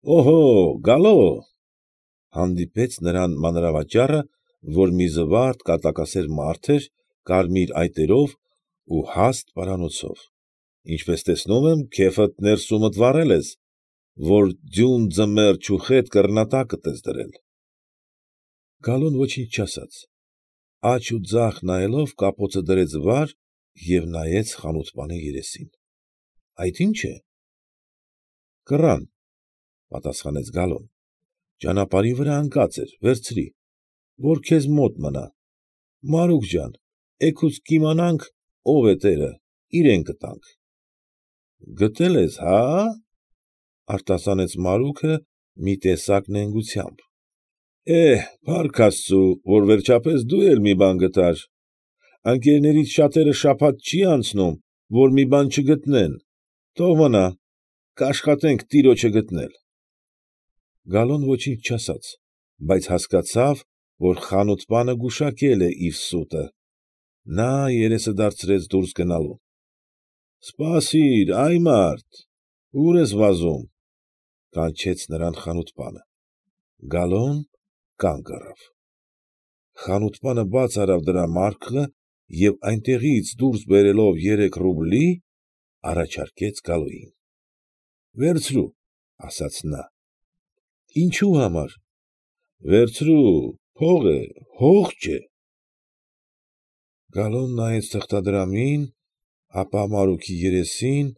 Օհո, գալո, հանդիպեց նրան մանրավաճառը, որ մի զվարթ կատակասեր մարդ էր, կարմիր այտերով ու հաստ պարանոցով, ինչպես տեսնում եմ, քեֆդ ներսումդ վառել ես, որ ձյուն ձմեռ չուխետ կռնատակդ ես դրել։ Գալոն ոչինչ չասաց, աջ ու ձախ նայելով կապոցը դրեց վար և նայեց խանութպանի երեսին։ ֊ Այդ ի՞նչ է։ ֊ Կռան, ֊ պատասխանեց Գալոն, ֊ ճանապարհի վրա ընկած էր, վերցրի, որ քեզ մոտ մնա, Մարուք ջան, էգուց կիմանանք ով է տերը, իրան կտանք։ ֊ Գտել ես, հա՞, ֊ արտասանեց Մարուքը մի տեսակ նենգությամբ։ ֊ Փառք աստծու, որ վերջապես դու էլ մի բան գտար, ընկերներիցս շատերը շաբաթ չի անցնում, որ մի բան չգտնեն, թող մնա, կաշխատենք տիրոջը գտնել։ Գալոն ոչինչ չասաց, բայց հասկացավ, որ խանութպանը գուշակել է իր սուտը։ Նա երեսը դարձրեց դուրս գնալու։ ֊ Սպասիր, այ մարդ, ո՞ւր ես վազում, ֊ կանչեց նրան խանութպանը։ Գալոն կանգ առավ։ Խանութպանը բաց արավ դրա մարքը և այնտեղից դուրս բերելով 3 ռուբլի, առաջարկեց Գալոյին։ ֊ Վերցրու, ֊ ասաց նա։ ֊ Ինչո՞ւ համար։ ֊ Վերցրու, փող է, հող չէ։ Գալոն նայեց թղթադրամին, ապա Մարուքի երեսին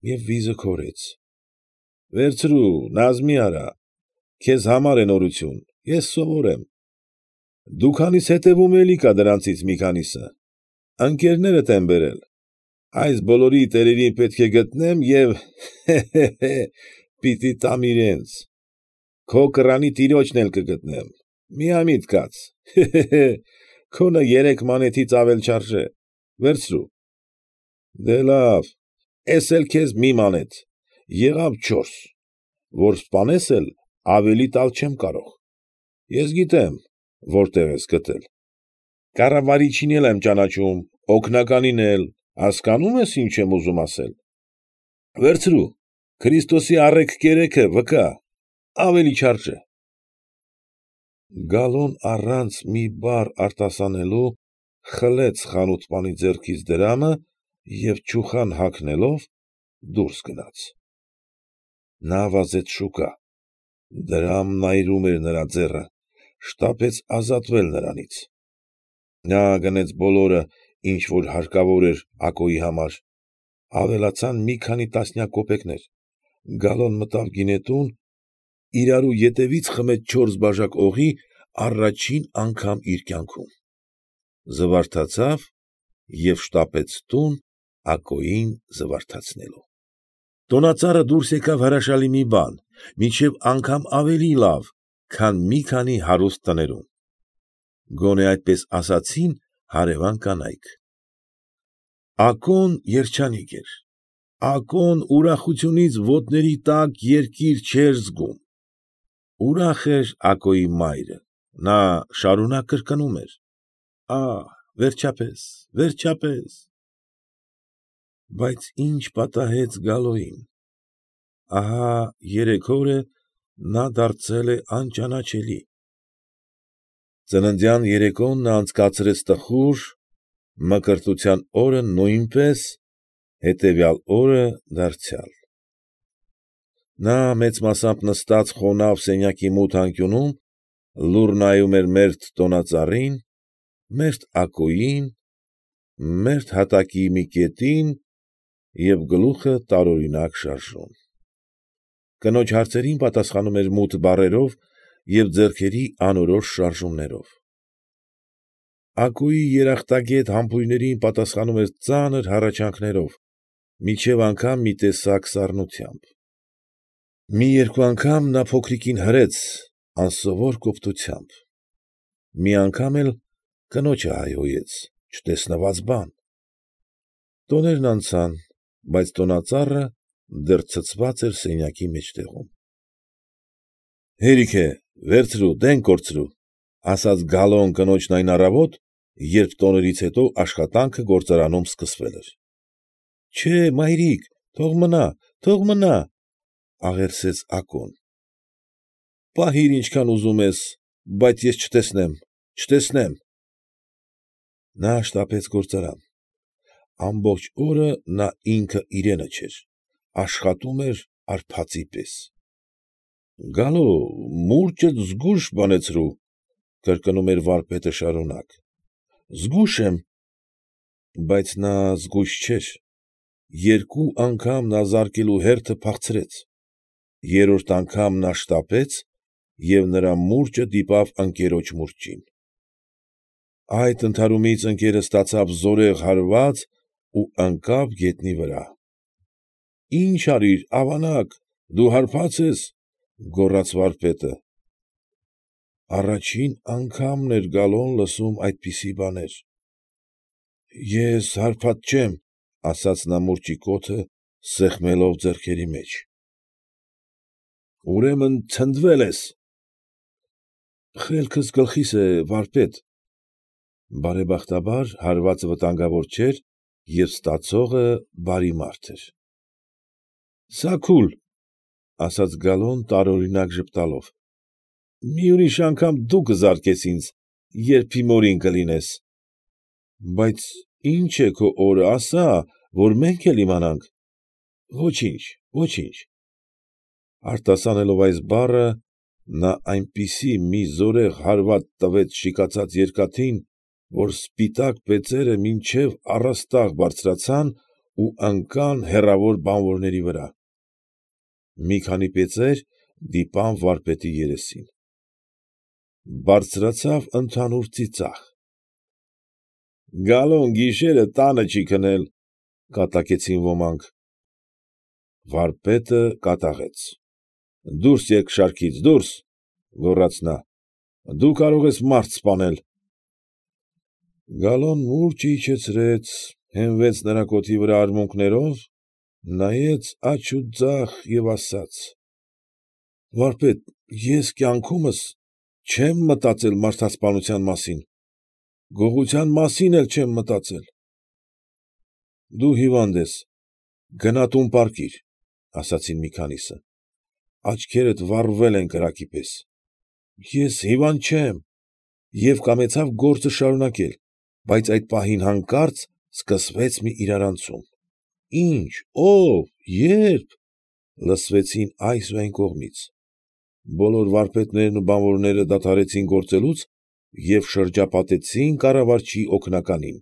և վիզը քորեց։ ֊ Վերցրու, նազ մի արա, քեզ համար է նորություն, ես սովոր եմ։ Դու քանիս հետևում էլի կա դրանցից մի քանիսը, ընկերներդ են բերել, այս բոլորի տերերին պետք է գտնեմ և պիտի տամ իրենց, քո կռանի տիրոջն էլ կգտնեմ, միամիտ կաց, քոնը 3 մանեթից ավել չարժե, վերցրու։ ֊ Դե լավ, էս էլ քեզ մի մանեթ, եղավ 4, որ սպանես էլ ավելի տալ չեմ կարող։ Ես գիտեմ որտեղ ես գտել, կառավարիչին էլ եմ ճանաչում, օգնականին էլ, հասկանում ես ինչ եմ ուզում ասել։ Վերցրու, Քրիստոսի առէգ կերեքը վկա, ավելի չարժե։ Գալոն առանց մի բառ արտասանելու խլեց խանութպանի ձեռքից դրամը և չուխան հագնելով դուրս գնաց։ Նա վազեց շուկա։ Դրամն այրում էր նրա ձեռը, շտապեց ազատվել նրանից։ Նա գնեց բոլորը, ինչ որ հարկավոր էր Ակոյի համար, ավելացան մի քանի տասնյակ կոպեկներ։ Գալոն մտավ գինետուն, իրարու ետևից խմեց 4 բաժակ օղի առաջին անգամ իր կյանքում, զվարթացավ և շտապեց տուն Ակոյին զվարթացնելու։ Տոնածառը դուրս եկավ հրաշալի մի բան, մինչև անգամ ավելի լավ, քան մի քանի հարուստ տներում։ Գոնե այսպես ասացին հարևան կանայք։ Ակոն երջանիկ էր, Ակոն ուրախությունից ոտների տակ երկիր չէր զգում։ Ուրախ էր Ակոյի մայրը, նա շարունակ կրկնում էր. «Ահ, վերջապես, վերջապես»։ Բայց ինչ պատահեց Գալոյին։ Ահա 3 օր է նա դարձել է անճանաչելի։ Ծննդյան երեկոն նա անցկացրեց տխուր, մկրտության օրը նույնպես, հետևյալ օրը դարձյալ։ Նա մեծ մասամբ նստած խոնավ սենյակի մութ անկյունում, լուռ նայում էր մերթ տոնածառին, մերթ Ակոյին, մերթ հատակի մի կետին և գլուխը տարօրինակ շարժում։ Կնոջ հարցերին պատասխանում էր մութ բառերով և ձեռքերի անորոշ շարժումներով։ Ակոյի երախտագետ համբույրներին պատասխանում էր ծանր հառաչանքներով, մինչև անգամ մի տեսակ սառնությամբ։ Մի երկու անգամ նա փոքրիկին հրեց անսովոր կոպտությամբ։ Մի անգամ էլ կնոջը հայհոյեց, չտեսնված բան։ Տոներն անցան, բայց տոնածառը դեռ ցցված էր սենյակի մեջտեղում։ ֊ Հերիք է, վերցրու, դեն կորցրու, ֊ ասաց Գալոն կնոջն այն առավոտ, երբ տոներից հետո աշխատանքը գործարանում սկսվել էր։ ֊ Չէ, մայրիկ, թող մնա, թող մնա, աղերսեց Ակոն։ ֊ Պահիր ինչքան ուզում ես, բայց ես չտեսնեմ, չտեսնեմ։ Նա շտապեց գործարան։ Ամբողջ օրը նա ինքը իրենը չէր, աշխատում էր արբածի պես։ ֊ Գալո, մուրճդ զգույշ բանեցրու,֊ կրկնում էր վարպետը շարունակ։ ֊ Զգույշ եմ։ Բայց նա զգույշ չէր. երկու անգամ նա զարկելու հերթը փախցրեց, երրորդ անգամ նա շտապեց և նրա մուրճը դիպավ ընկերոջ մուրճին։ Այդ ընդհարումից ընկերը ստացավ զորեղ հարված ու ընկավ գետնի վրա։ ֊ Ի՞նչ արիր, ավանակ, դու հարբած ես,֊ գոռաց վարպետը։ Առաջին անգամն էր Գալոն լսում այդպիսի բաներ։ ֊ Ես հարբած չեմ,֊ ասաց նա մուրճի կոթը սեղմելով ձեռքերի մեջ։ ֊ Ուրեմն ցնդվել ես։ ֊ Խելքս գլխիս է, վարպետ… Բարեբախտաբար հարվածը վտանգավոր չէր և ստացողը բարի մարդ էր։ ֊ Սաքուլ,֊ ասաց Գալոն տարօրինակ ժպտալով,֊ մի ուրիշ անգամ դու կզարկես ինձ, երբ իմորին կլինես։ ֊ Բայց ի՞նչ է քո օրը, ասա, որ մենք էլ իմանանք։ ֊ Ոչինչ, ոչինչ… Արտասանելով այս բառը, նա այնպիսի մի զորեղ հարված տվեց շիկացած երկաթին, որ սպիտակ բեծերը մինչև առաստաղ բարձրացան ու ընկան հեռավոր բանվորների վրա։ Մի քանի բեծեր դիպան վարպետի երեսին։ Բարձրացավ ընդհանուր ծիծաղ։ ֊ Գալոն գիշերը տանը չի քնել,֊ կատակեցին ոմանք։ Վարպետը կատաղեց։ ֊ Դուրս եկեք շարքից, դուրս,֊ գոռաց նա,֊ դու կարող ես մարդ սպանել։ Գալոն մուրճը իջեցրեց, հենվեց նրա կոթի վրա արմունկներով, նայեց աջ ու ձախ և ասաց. ֊ Վարպետ, ես կյանքումս չեմ մտածել մարդասպանության մասին, գողության մասին էլ չեմ մտածել։ ֊ Դու հիվանդ ես, գնա տուն պառկիր,֊ ասացին մի քանիսը,֊ աչքերդ վառվել են կրակի պես։ Ես հիվանդ չեմ և կամեցավ գործը շարունակել, բայց այդ պահին հանկարծ սկսվեց մի իրարանցում։ Ի՞նչ, ո՞վ, ե՞րբ, լսվեցին այս ու այն կողմից։ Բոլոր վարպետներն ու բանվորները դադարեցին գործելուց և շրջապատեցին կառավարչի օգնականին,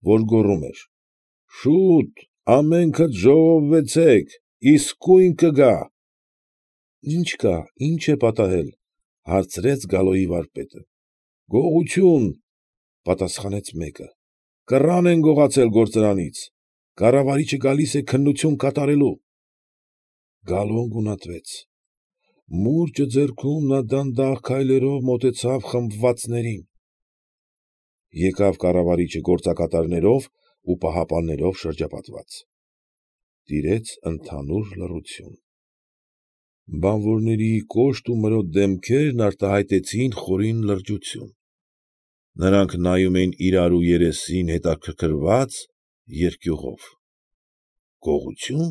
որ գոռում էր. «Շո՛ւտ, ամենքդ ժողովվեցեք, իսկույն կգա»։ ֊ Ի՞նչ կա, ի՞նչ է պատահել,֊ հարցրեց Գալոյի վարպետը։ ֊ Գողություն,֊ պատասխանեց մեկը,֊ կռան են գողացել գործարանից, կառավարիչը գալիս է քննություն կատարելու։ Գալոն գունատվեց։ Մուրճը ձեռքում նա դանդաղ քայլերով մոտեցավ խմբվածներին։ Եկավ կառավարիչը գործակատարներով ու պահապաններով շրջապատված։ Տիրեց ընդհանուր լռություն։ Բանվորների կոշտ ու մրոտ դեմքերն արտահայտեցին խորին լրջություն։ Նրանք նայում էին իրարու երեսին հետաքրքրված, երկյուղով։ Գողությո՞ւն,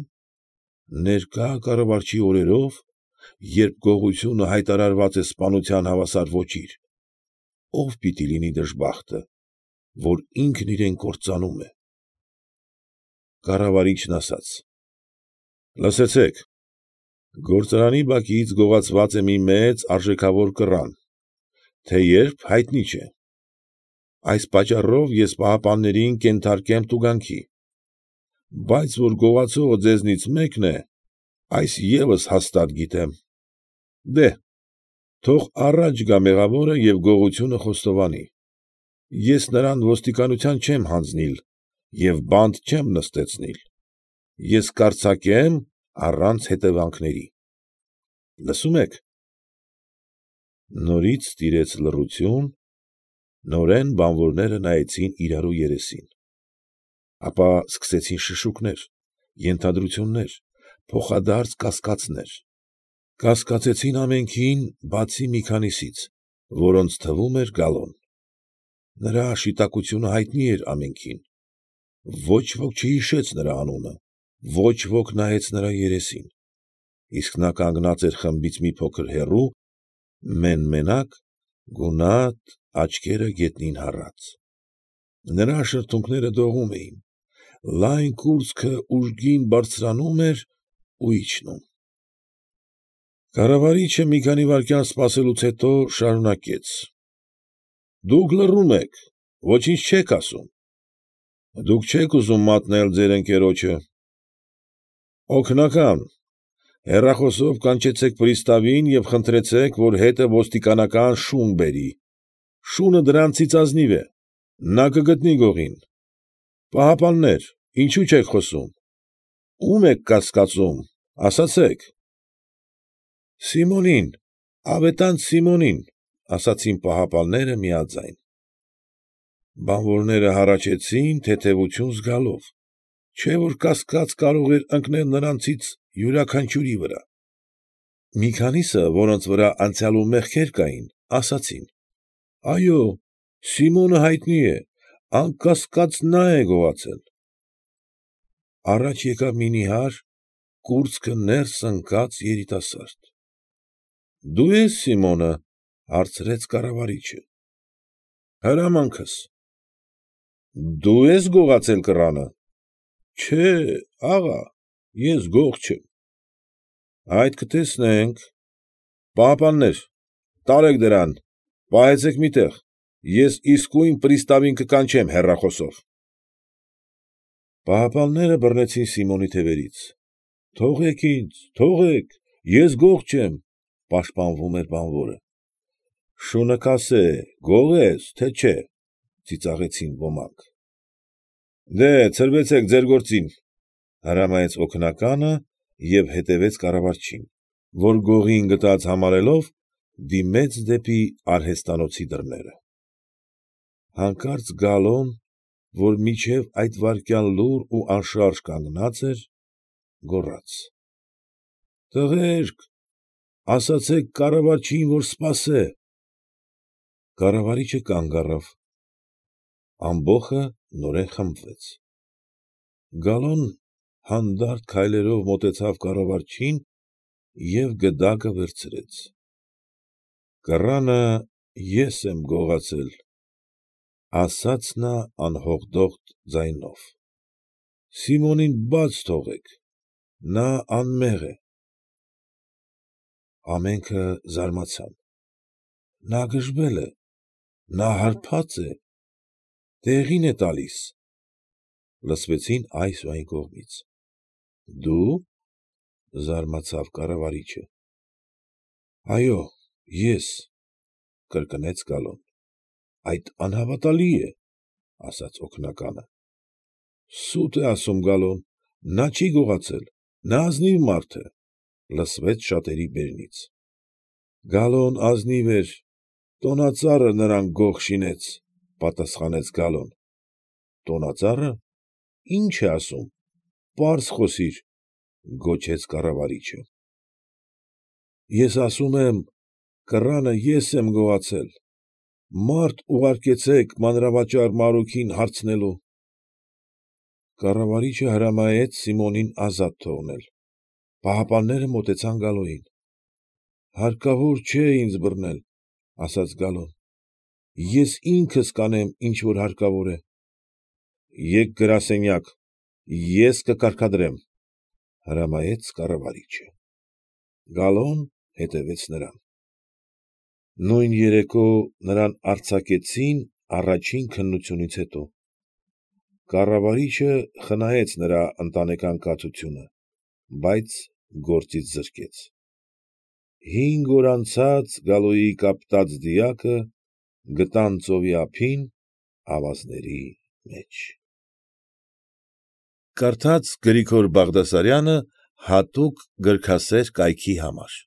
ներկա կառավարչի օրերով, երբ գողությունը հայտարարված է սպանության հավասար ոճիր, ո՞վ պիտի լինի դժբախտը, որ ինքն իրեն կործանում է։ Կառավարիչն ասաց. ֊ Լսեցե՛ք, գործարանի բակից գողացված է մի մեծ արժեքավոր կռան, թեև հայտնի չէ։ Այս պատճառով ես պահապաններին կենթարկեմ տուգանքի։ Բայց որ գողացողը ձեզնից մեկն է, այս ևս հաստատ գիտեմ։ Դե՛հ, թող առաջ գա մեղավորը և գողությունը խոստովանի։ Ես նրան ոստիկանության չեմ հանձնիլ և բանտ չեմ նստեցնիլ։ Ես կարձակեմ առանց հետևանքների։ Լսո՞ւմ եք։ Նորից տիրեց լռություն, նորեն բանվորները նայեցին իրարու երեսին։ Ապա սկսեցին շշուկներ, ենթադրություններ, փոխադարձ կասկածներ։ Կասկածեցին ամենքին, բացի մի քանիսից, որոնց թվում էր Գալոն։ Նրա շիտակությունը հայտնի էր ամենքին։ Ոչ ոք չհիշեց նրա անունը, ոչ ոք նայեց նրա երեսին։ իսկ նա կանգնած էր խմբից մի փոքր հեռու, մեն֊մենակ, գունատ, աչքերը գետնին հառած։ Նրա շրթունքները դողում էին, լայն կուրծքը ուժգին բարձրանում էր ու իջնում։ Կառավարիչը մի քանի վայրկյան սպասելուց հետո շարունակեց. ֊ Դուք լռում եք, ոչինչ չեք ասում։ Դուք չեք ուզում մատնել ձեր ընկերոջը։ Օգնական, հեռախոսով կանչեցեք պրիստավին և խնդրեցեք, որ հետը ոստիկանական շուն բերի, շունը դրանցից ազնիվ է, նա կգտնի գողին։ Պահապաններ, ինչո՞ւ չեք խոսում, ո՞ւմ եք կասկածում, ասացեք։ Սիմոնին, ավետարանց Սիմոնին, ֊ ասացին պահապանները միաձայն։ Բանվորները հառաչեցին թեթևություն զգալով, չէ՞ որ կասկած կարող էր ընկնել նրանցից յուրաքանչյուրի վրա։ Մի քանիսը, որոնց վրա անցյալում մեղքեր կային, ասացին. ֊ Այո, Սիմոնը հայտնի է, անկասկած նա է գողացել։ Առաջ եկավ մի նիհար, կուրծքը ներս ընկած երիտասարդ։ ֊ Դու ե՞ս Սիմոնը, ֊ հարցրեց կառավարիչը։ ֊ Հրամանքս։ ֊ Դու ե՞ս գողացել կռանը։ ֊ Չէ, աղա, ես գող չեմ։ ֊ Այդ կտեսնենք։ Պահապաններ, տարեք դրան, պահեցեք մի տեղ, ես իսկույն պրիստավին կկանչեմ հեռախոսով։ Պահապանները բռնեցին Սիմոնի թևերից։ ֊ Թողեք ինձ, թողեք, ես գող չեմ, ֊ պաշտպանվում էր բանվորը։ ֊ Շունը կասե, գող ես, թե չէ, ֊ ծիծաղեցին ոմանք։ ֊ Դե՛հ, ցրվեցեք ձեր գործին, ֊ հրամայեց օգնականը և հետևեց կառավարչին, որ գողին գտած համարելով դիմեց դեպի արհեստանոցի դռները։ Հանկարծ Գալոն, որ մինչև այդ վայրկյան լուռ ու անշարժ կանգնած էր, գոռաց. ֊ Տղերք, ասացեք կառավարչին, որ սպասե։ Կառավարիչը կանգ առավ։ Ամբոխը նորեն խմբվեց։ Գալոն հանդարտ քայլերով մոտեցավ կառավարչին և գդակը վերցրեց։ ֊ Կռանը ես եմ գողացել, ֊ ասաց նա անհողդող ձայնով։ ֊ Սիմոնին բաց թողեք, նա անմեղ է։ Ամենքը զարմացան։ Նա գժվել է, նա հարբած է, տեղին է տալիս, ֊ լսվեցին այս ու այն կողմից։ ֊ Դու, ֊ զարմացավ կառավարիչը։ ֊ Այո, ես, ֊ կրկնեց Գալոն։ ֊ Այդ անհավատալի է, ֊ ասաց օգնականը։ ֊ Սուտ է ասում Գալոն, նա չի գողացել, նա ազնիվ մարդ է, ֊ լսվեց շատերի բերնից։ ֊ Գալոն ազնիվ էր, տոնածառը նրան գող շինեց, ֊ պատասխանեց Գալոն։ ֊ Տոնածառը, ի՞նչ է ասում, պարզ խոսիր, ֊ գոչեց կառավարիչը։ ֊ Ես ասում եմ, կռանը ես եմ գողացել, մարդ ուղարկեցեք մանրավաճառ Մարուքին հարցնելու։ Կառավարիչը հրամայեց Սիմոնին ազատ թողնել։ Պահապանները մոտեցան Գալոյին։ ֊ Հարկավոր չէ ինձ բռնել, ֊ ասաց Գալոն, ֊ ես ինքս կանեմ, ինչ որ հարկավոր է։ ֊ Եկ գրասենյակ, ես կկարգադրեմ, ֊ հրամայեց կառավարիչը։ Գալոն հետևեց նրան։ Նույն երեկո նրան արձակեցին առաջին քննությունից հետո։ Կառավարիչը խնայեց նրա ընտանեկան կացությունը, բայց գործից զրկեց։ 5 օր անցած Գալոյի կապտած դիակը գտան ծովի ափին ավազների մեջ։ Կարդաց Գրիգոր Բաղդասարյանը հատուկ գրքասեր կայքի համար։